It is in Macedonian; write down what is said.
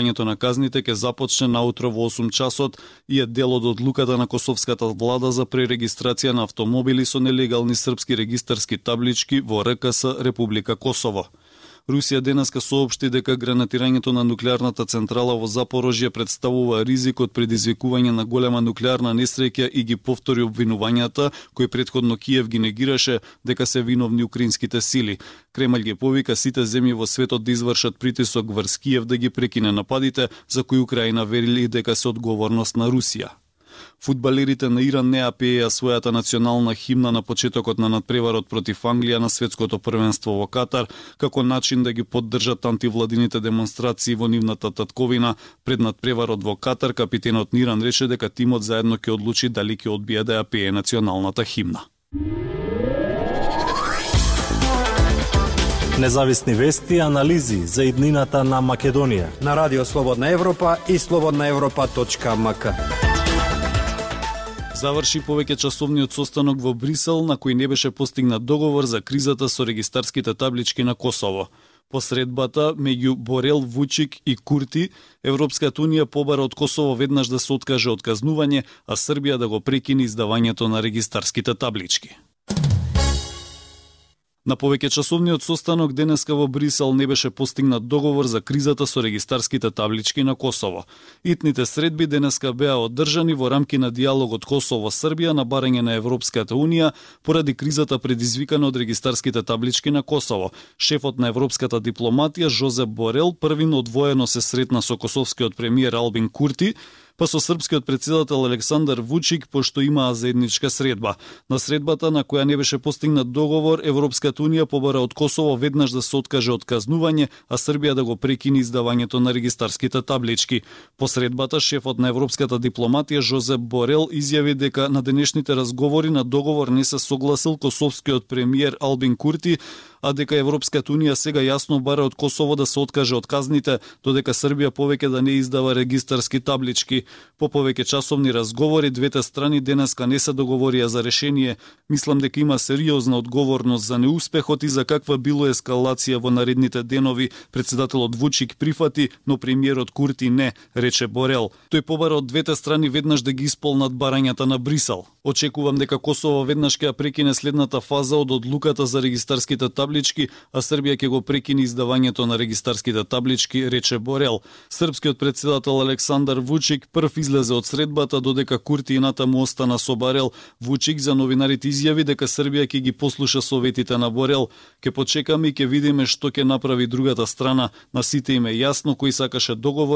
Изданието на казните ќе започне наутро во 8 часот и е дел од одлуката на косовската влада за пререгистрација на автомобили со нелегални српски регистарски таблички во РКС Република Косово. Русија денеска соопшти дека гранатирањето на нуклеарната централа во Запорожје представува ризик од предизвикување на голема нуклеарна несреќа и ги повтори обвинувањата кои претходно Киев ги негираше дека се виновни украинските сили. Кремљ ги повика сите земји во светот да извршат притисок врз Киев да ги прекине нападите за кои Украина верили дека се одговорност на Русија. Фудбалерите на Иран не пееа својата национална химна на почетокот на надпреварот против Англија на светското првенство во Катар, како начин да ги поддржат антивладините демонстрации во нивната татковина. Пред надпреварот во Катар, капитенот на Иран рече дека тимот заедно ќе одлучи дали ќе одбие да ја пее националната химна. Независни вести и анализи за иднината на Македонија на Радио Слободна Европа и slobodnaevropa.mk. Заврши повеќе часовниот состанок во Брисел на кој не беше постигнат договор за кризата со регистарските таблички на Косово. По средбата меѓу Борел, Вучик и Курти, Европската унија побара од Косово веднаш да се откаже од казнување, а Србија да го прекини издавањето на регистарските таблички. На повеќе часовниот состанок денеска во Брисел не беше постигнат договор за кризата со регистарските таблички на Косово. Итните средби денеска беа одржани во рамки на диалогот Косово-Србија на барање на Европската унија поради кризата предизвикана од регистарските таблички на Косово. Шефот на европската дипломатија Жозеп Борел првин одвоено се сретна со косовскиот премиер Албин Курти, па со српскиот председател Александар Вучик, пошто имаа заедничка средба. На средбата на која не беше постигнат договор, Европската унија побара од Косово веднаш да се откаже од казнување, а Србија да го прекини издавањето на регистарските таблички. По средбата, шефот на европската дипломатија Жозеп Борел изјави дека на денешните разговори на договор не се согласил косовскиот премиер Албин Курти, а дека Европската унија сега јасно бара од Косово да се откаже од казните, додека Србија повеќе да не издава регистарски таблички. По повеќе часовни разговори, двете страни денеска не се договорија за решение. Мислам дека има сериозна одговорност за неуспехот и за каква било ескалација во наредните денови. Председателот Вучик прифати, но премиерот Курти не, рече Борел. Тој побара од двете страни веднаш да ги исполнат барањата на Брисел. Очекувам дека Косово веднаш ќе прекине следната фаза од одлуката за регистарските таблички, а Србија ќе го прекине издавањето на регистарските таблички, рече Борел. Српскиот председател Александар Вучик прв излезе од средбата, додека Курти и натаму остана со Борел. Вучик за новинарите изјави дека Србија ќе ги послуша советите на Борел. Ке почекаме и ќе видиме што ќе направи другата страна. На сите им е јасно кој сакаше договор